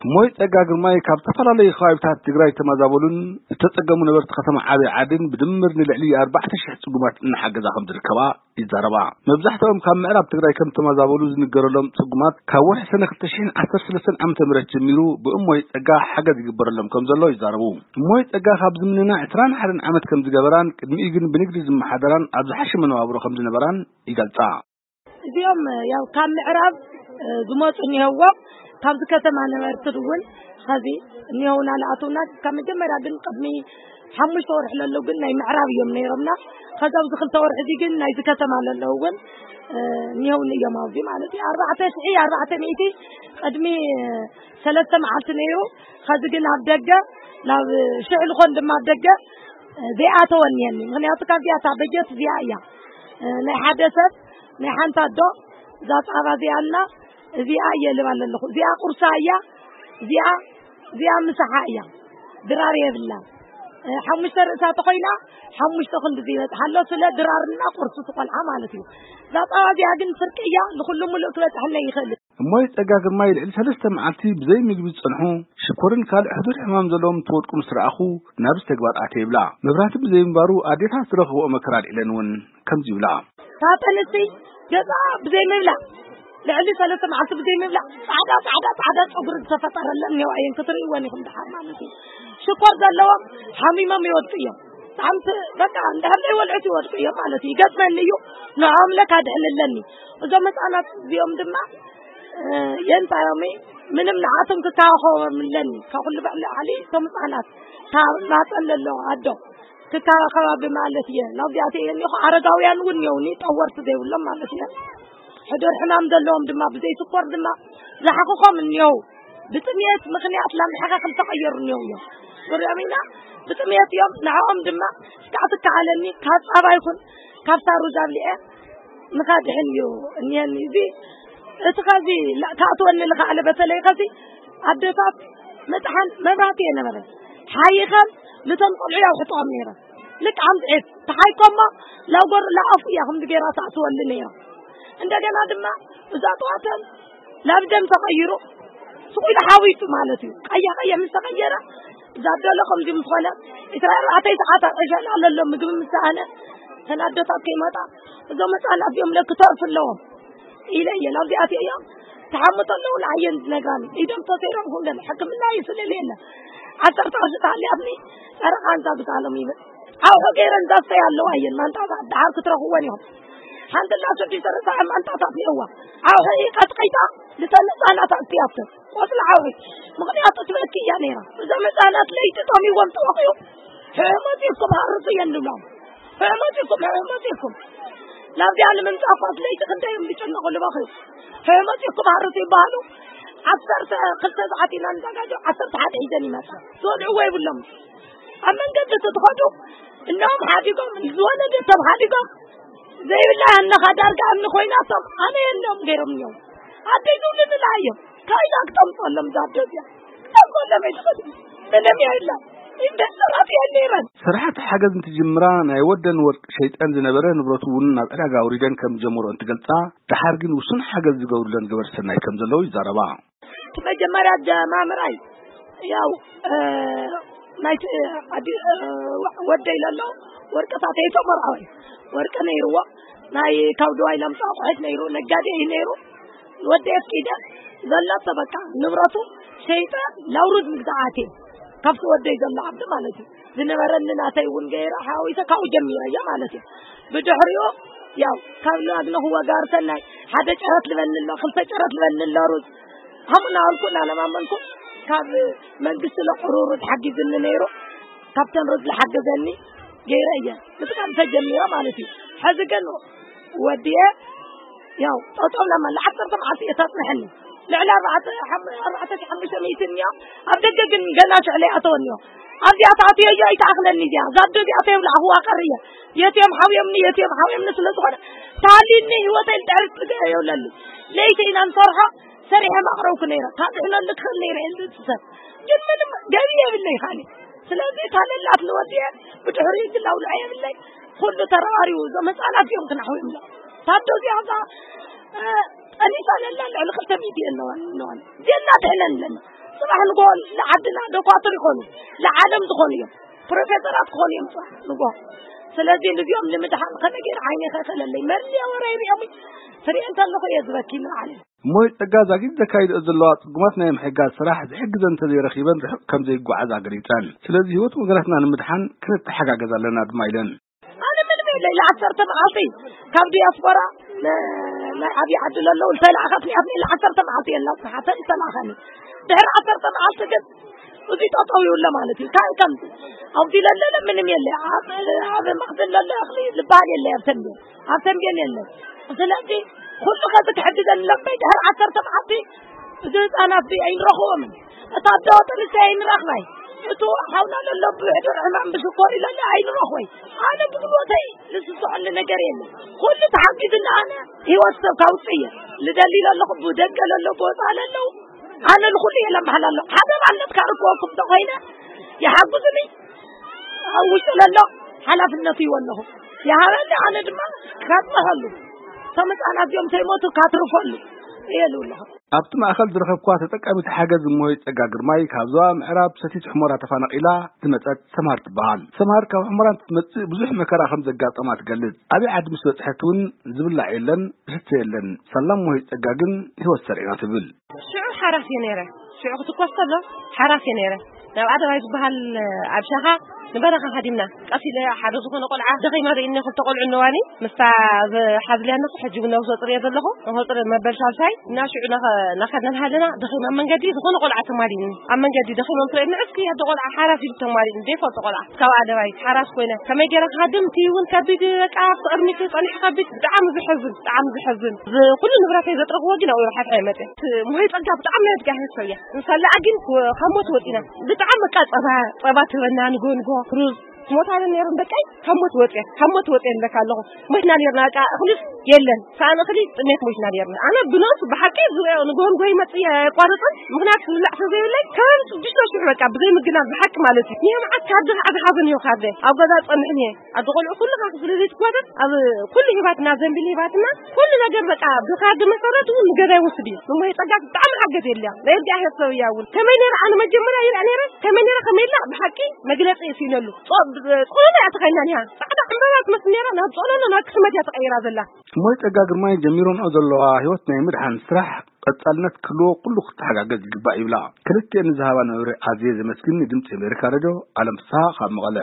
እሞይ ጸጋ ግርማይ ካብ ዝተፈላለዩ ከባቢታት ትግራይ ዝተመዛበሉን ዝተጸገሙ ነበርቲ ከተማ ዓብይ ዓድን ብድምር ንልዕሊ ኣርባዕተ ሽሕ ጽጉማት እናሓገዛ ከም ዝርከባ ይዛረባ። መብዛሕትኦም ካብ ምዕራብ ትግራይ ከም ዝተመዛበሉ ዝንገረሎም ጽጉማት ካብ ወርሒ ሰነ ክልተ ሽሕን ዓሰርተ ሰለስተን ዓመተ ምህረት ጀሚሩ ብእሞይ ጸጋ ሓገዝ ይግበረሎም ከም ዘሎ ይዛረቡ። እሞይ ጸጋ ካብ ዝምንና ዕስራን ሓደን ዓመት ከም ዝገበራን ቅድሚኡ ግን ብንግዲ ዝመሓደራን ኣብ ዝሓሸ መነባብሮ ከም ዝነበራን ይገልጻ። እዚኦም ያው ካብ ምዕራብ ዝመፁ እኒሀዎም፣ ካብዚ ከተማ ነበርቲ እውን ኸዚ እኒሀውና ንኣትውና። ካብ መጀመርያ ግን ቅድሚ ሓሙሽተ ወርሒ ለለዉ ግን ናይ ምዕራብ እዮም ነይሮምና። ከዚ ኣብዚ ክልተ ወርሒ እዚ ግን ናይዚ ከተማ ለለዉ እውን እኒሀውኒ እዮም ኣብዚ ማለት እዩ። ኣርባዕተ ሽሒ ኣርባዕተ ሚእቲ ቅድሚ ሰለስተ መዓልቲ ነይሩ። ከዚ ግን ኣብ ደገ ናብ ሽሕ ልኾን ድማ ኣብ ደገ ዘይኣተወ እኒሀኒ። ምኽንያቱ ካብዚኣ እታ በጀት እዚኣ እያ። ናይ ሓደ ሰብ ናይ ሓንቲ ኣዶ እዛ ፃባ እዚኣ እና እዚኣ እየ ልባ ኣለኹ። እዚኣ ቁርሳ እያ፣ እዚኣ እዚኣ ምሳሓ እያ። ድራር የብላ። ሓሙሽተ ርእሳ ተኾይና ሓሙሽተ ክንዲ ዝበፅሓ ኣሎ። ስለ ድራርና ቁርሲ ትቆልዓ ማለት እዩ። እዛ ፃባ እዚኣ ግን ፍርቂ እያ። ንኩሉ ሙሉእ ክበፅሐለይ ይኽእል። እሞይ ጸጋ ግርማይ ልዕሊ ሰለስተ መዓልቲ ብዘይ ምግቢ ዝጸንሑ፣ ሽኮርን ካልእ ሕዱር ሕማም ዘለዎም ትወድቁ ምስ ረኣኹ፣ ናብዚ ተግባር ኣትየ ይብላ። መብራህቲ ብዘይምንባሩ ኣዴታት ዝረኽብኦ መከራ ኣልዒለን እውን ከምዚ ይብላ። ሳጥን እስቲ ገዛ ብዘይ ምብላዕ፣ ልዕሊ ሰለስተ መዓልቲ ብዘይ ምብላዕ፣ ጻዕዳ፣ ጻዕዳ፣ ጻዕዳ ጸጉሪ ዝተፈጠረለን እኒኦ፣ ኣየን ክትርእይወን ኢኹም ደሓር ማለት እዩ። ሽኮር ዘለዎም ሓሚሞም ይወድቁ እዮም። ብጣዕሚ ት-፣ በቃ እንድሕር ዘይበልዑት ይወድቁ እዮም ማለት እዩ። ይገጥመኒ እዩ፣ ንዕኦም ለካ ድሕንለኒ። እዞም ህፃናት እዚኦም ድማ የንታዮሚ ምንም ንዓቶም ክከባኸቦም ኣለኒ። ካብ ኩሉ ብዕሊ ዓሊ እቶም ህፃናት ካብ ማፀን ለሎ ኣዶ ክከባኸባ ብማለት እየ ናብዚኣተ እየ እኒኹ። ኣረጋውያን እውን እኒኦውኒ ጠወርቲ ዘይብሎም ማለት እየ። ሕዱር ሕማም ዘለዎም ድማ ብዘይ ስኮር ድማ ዝሓኽኾም እኒኦው። ብጥሜት ምኽንያት ላምሕኻ ክልተቐየሩ እኒኦው እዮም። ንሪኦም ኢና ብጥሜት እዮም። ንዕኦም ድማ እስካዕ ትከኣለኒ ካብ ፃባ ይኹን ካብ ሳሩዝ ኣብሊዐ ንኻድሕን እዩ እኒሀኒ። እዚ እቲ ኸዚ ላ-፣ ክኣትወኒ ልኽኣለ በተለይ ኸዚ ኣደታት መጥሓን መብራህቲ የነበረ ሓይኸን ነቶም ቆልዑ ያውሕጥኦም ነይረ። ልክ ኣምፅኤት ተሓይኮሞ ላጎር ላኣፉ እያ ከምዚ ገይራ ተኣትወሉ ነይራ። እንደገና ድማ እዛ ጠዋተን ናብ ደም ተቐይሩ ስቑ ኢሉ ሓዊሱ ማለት እዩ። ቀያ ቀያ ምስ ተቐየረ እዛ ኣደሎ ከምዚ ምስ ኾነ ዕስራ ኣርባዕተ ሰዓት ኣብ ዕሸል ኣለሎ ምግቢ ምስ ሰኣነ ተን ኣደታት ከይመጣ እዞም ህፃናት እዚኦም ለክተርፍ ኣለዎም ኢለ እየ ናብዚኣት እዮም ተሓምቶ ኣለዉ ንዓየን ዝነግራኒ ኢዶም ተሰይሮም ኩለን ሕክምና ይስልል የለ ዓሰርተ ቅርሺ ተሃልያትኒ ጨረቃ እንዛ ብሳሎም ይብል ዓውሑ ገይረን ዛስተይ ኣለዋ እየን ማንጣታት ደሓር ክትረኽወን እዮም ሓንቲ እና ሽዱሽተ ርእሳ ማንጣታት እየዋ ዓውሑ ቀጥቂጣ ልተን ህፃናት ኣስትያፍተን ቆፅሊ ዓውሒ ምኽንያቱ ትበኪ እያ ነይራ እዞም ህፃናት ለይቲ ጠሚዎም ተወቂኡ ሕመፂኩም ሃርሱ እየን ንብሎም ሕመፂኩም ሕመፂኩም ናብዚኣ ንምምፃእ ኳስ ለይቲ ክንደይ እዮም ዝጨነቑ ዝበኽዩ ሕመፂኩም ሃርሱ ይበሃሉ ዓሰርተ ክልተ ሰዓት ኢና ንዘጋጆ ዓሰርተ ሓደ ሒዘን ይመፃ ዝበልዕዎ ይብሎም ኣብ መንገዲ እቲ ትኸዱ እነኦም ሓዲጎም ዝወለደ ሰብ ሓዲጎም ዘይብላ ኣነኻ ዳርጋ እምኒ ኮይናቶም ኣነ የሎም ገይሮም እዮም ኣደይ ዝብሉ ንላ እዮም ካይዳ ክተምፀሎም ዛዶ እዚኣ ክተምፀሎም ኣይትኽእል ምንም የላ ኢንቨስተራት እየን ነይረን ስራሕቲ ሓገዝ እንትጅምራ ናይ ወደን ወርቂ ሸይጠን ዝነበረ ንብረቱ እውን ናብ ዕዳጋ ኣውሪደን ከም ዝጀመሮ እንትገልፃ ደሓር ግን ውሱን ሓገዝ ዝገብሩለን ገበርቲ ሰናይ ከም ዘለዉ ይዛረባ እቲ መጀመርያ ጀማምራይ ያው ናይቲ ወደይ ለሎ ወርቅታተይ ተመርዓወ ወርቂ ነይርዎ ናይ ካብ ድዋይ ለምፃ ኣቑሑት ነይሩ ነጋዴ እዩ ነይሩ ንወደይ ኣፍቂደ ዘለቶ በቃ ንብረቱ ሸይጠ ላውሩድ ምግዛዓት እየ ካብቲ ወደይ ዘሎ ዓብዲ ማለት እዩ ዝነበረኒ ናተይ እውን ገይረ ሓዊሰ ካብኡ ጀሚረ እየ ማለት እዩ ብድሕሪኡ ያው ካብ ናግነኽዎ ጋር ሰናይ ሓደ ጨረት ልበኒ ኣሎ ክልተ ጨረት ልበኒ ኣሎ ሩዝ ሃሙና ኣልኩ እናለማመንኩ ካብ መንግስቲ ለቅሩሩ ተሓጊዝኒ ነይሩ ካብተን ሩዝ ዝሓገዘኒ ገይረ እየ ምጥቃም ተጀሚረ ማለት እዩ ሕዚ ግን ወዲየ ያው ጠጠው ለመላ ዓሰርተ መዓልቲ እየ ታፅንሐኒ ልዕሊ ኣርባዕተ ሓሙሽተ ሚእትን እዮም ኣብ ደገ ግን ገና ሽዕለ ኣተወኒ እዮም ኣብዚኣ ተኣትዮ እዮ ኣይተኣኽለኒ እዚኣ ዛዶ እዚኣ ተየብላዕኽዋ ቀርየ የትዮም ሓውዮምኒ የትዮም ሓውዮምኒ ስለ ዝኾነ ተሃልዩኒ ህይወተይ ልድሕሪ ትገ የብለሉ ለይቲ ኢና ንሰርሖ ሰሪሐ ማቕረብኩ ነይረ ካብ ዝሕነሉ ክኽእል ነይረ እየ ዝፅሰብ ግን ምንም ገቢ የብለይ ካኒ ስለዚ እታ ለላት ንወዲአ ብድሕሪ ግላውልዐ የብለይ ኩሉ ተረባሪቡ እዞም ህፃናት እዮም ክናሕው ይብሎ ታዶ እዚኣ እዛ ጠኒሳ ለላ ልዕሊ ክልተ ሚእቲ ኣለዋ ኣለዋን ዜና ድሕነን ኣለና ጽባሕ ንጎ ንዓድና ዶኳትር ይኾኑ፣ ንዓለም ዝኾኑ እዮም፣ ፕሮፌሰራት ክኾኑ እዮም ጽባሕ ንጎ። ስለዚ ንዚኦም ንምድሓን ከመይ ገይረ ዓይነ ከፈለለይ? መን ወረ ይሪኦም ትሪኦ እንተለኹ እየ ዝበኪ ንዓለም። እሞ ጸጋ ዛጊድ ዘካይድኦ ዘለዋ ጽጉማት ናይ ምሕጋዝ ስራሕ ዝሕግዘን እንተዘይረኺበን ርሑቕ ከም ዘይጓዓዛ ገሊጸን። ስለዚ ህይወት ወገናትና ንምድሓን ክንተሓጋገዝ ኣለና ድማ ኢለን። ኣነ ምንም የለ ኢለ ዓሰርተ መዓልቲ ካብ ዲያስፖራ ን-፣ ናይ ዓብዪ ዓዲ ለለዉ ዝተላእኸትኒ ኣብ ኢለ ዓሰርተ መዓልቲ የላ ዝሓተን ዝተላእኸኒ። ድሕሪ ዓሰርተ መዓልቲ ግን እዚ ጠጠው ይብሎ ማለት እዩ። ካብ ከምዚ ኣብዚ ለለለ ምንም የለ። ኣብ፣ ኣብ መኽዝን ለለ እኽሊ ዝበሃል የለ ኣብ ተንቤን። ኣብ ተንቤን የለ። ስለዚ ኩሉ ከዚ ክሕግዘኒ ለበይ ድሕሪ ዓሰርተ መዓልቲ እዚ ህፃናት እዚ ኣይንረኽቦምን። እታ ኣዶ ጥንሲ ኣይንረኽባይ። እቱ ሓውና ለሎ ብሕዱር ሕማም ብሽኮር ይለለ ኣይንረኽቦይ። ኣነ ብጉልበተይ ዝስስዐኒ ነገር የለ። ኩሉ ተሓጊዝና ኣነ ህይወት ሰብ ካውፅእ እየ። ልደሊ ለለኹ ብደገ ለሎ ብወፃ ለለው ኣነ ንኹሉ እየ ለምሓላ ኣለኹ። ሓደ ባነት ካርክወኩም ተኾይነ ይሓግዙኒ። ኣብ ውሽጢ ለሎ ሓላፍነቱ ይወለኹ። ይሃበኒ ኣነ ድማ ክካፅመኸሉ። እቶም ህፃናት እዚኦም ተይሞቱ ካትርፈሉ እየ ልብለኹ። ኣብቲ ማእኸል ዝረኸብኳ ተጠቃሚት ሓገዝ እሞይ ጸጋ ግርማይ ካብ ዞባ ምዕራብ ሰቲት ሑመራ ተፈናቒላ ዝመጸት ሰምሃር ትበሃል። ሰምሃር ካብ ሑመራ እንትትመጽእ ብዙሕ መከራ ከም ዘጋጠማ ትገልጽ። ኣበይ ዓዲ ምስ በጽሐት እውን ዝብላዕ የለን፣ ዝስተ የለን። ሳላ እሞይ ጸጋ ግን ህይወት ሰሪዕና ትብል። ሽዑ ሓራስ እየ ነይረ። ሽዑ ክትኮስ ከሎ ሓራስ እየ ነይረ። ናብ ኣደባይ ዝበሃል ኣብ ሻኻ ንበረኻ ሃዲምና። ቀስ ኢለ ሓደ ዝኾነ ቆልዓ ደኺማ ርእይኒ ክልተ ቆልዑ እነዋኒ ምስታ ዝሓዝልያ እነኹ ሕጂ እውን ነብሰ ጡር እየ ዘለኹ። ነብሰ ጡር መበል ሳልሳይ እና ሽዑ ናኸ-፣ ናኸድና ሃለና ደኺማ ኣብ መንገዲ ዝኾነ ቆልዓ ተማሊኒ። ኣብ መንገዲ ደኺሞም ትርእየኒ ዕስኪ ኣደ ቆልዓ ሓራስ ኢሉ ተማሊኒ። ዘይፈልጦ ቆልዓ ካብ ኣደባይ ሓራስ ኮይነ ከመይ ገይረ ክሃድም እቲ እውን ከቢድ በቃ ኣብቲ ቅድሚት ጸኒሑ ከቢድ ብጣዕሚ ዝሕዝን፣ ብጣዕሚ ዝሕዝን። ዝ-፣ ኩሉ ንብረተይ ዘጥረኽዎ ግን ኣብኡ ሓድሓ ይመጸ። ት-፣ ሙሄ ጸጋ ብጣዕሚ ናይ እግዚኣብሔር ሰብ እያ። ንሳላ ግን ካብ ሞት ወጺና። ብጣዕሚ በቃ ጸባ፣ ጸባ ትህበና ንጎ ንጎ ሩዝ። ሞታለን ነይረን በቃ ካብ ሞት ወጺአ፣ ካብ ሞት ወጺአ ንብለካ ኣለኹ። ሞትና ነይርና በቃ እኽሊ የለን። ሳእን እኽሊ ጥሜት ሞትና ነይርና። ኣነ ብነብሱ ብሓቂ ዝሪኦ ንጎ ንጎ ይመጽእ እየ ኣየቋርጽን። ምኽንያቱ ዝብላዕ ስለ ዘይብለይ ከም ሽዱሽተ ሽሕ በቃ ብዘይ ምግናን ብሓቂ ማለት እዩ። ንየምዓት ካርዲ ከዓ ዝሓዘን እዩ ካርዲ። ኣብ ገዛ ጸንሕን እየ። ኣደ ቆልዑ ኩሉ ካብ ክፍሊ ዘይትጓተት ኣብ ኩሉ ሂባትና፣ ዘንቢል ሂባትና፣ ኩሉ ነገር በቃ ብካርድ መሰረት እውን ንገዛ ይወስድ እዩ። ንሞሄ ጸጋ ብጣዕሚ ሓገዝ የለ። ናይ እግዚኣብሔር ሰብ እያ እውን። ከመይ ነይረ ኣነ መጀመርያ ይርኣ ነይረ፣ ከመይ ነይረ ከመይ ኢላ ብሓቂ መግለጺ እየ ስኢነሉ። ጾ-፣ ብ-፣ ጾሎሎ እያ ተኸይና ኒሃ። ጻዕዳ ዕምባባ ትመስል ነይራ፣ ናብ ጾሎሎ ናብ ክስመት እያ ተቐይራ ዘላ። እሞይ ጸጋ ግርማይ ጀሚሮንኦ ዘለዋ ህይወት ናይ ምድሓን ስራሕ ቀጻልነት ክህልዎ ኩሉ ክተሓጋገዝ ይግባእ ይብላ። ክልቲኤን ንዝሃባና መብርሂ ኣዝየ ዘመስግን። ንድምጺ ኣሜሪካ ሬድዮ ኣለም ፍስሃ ካብ መቐለ።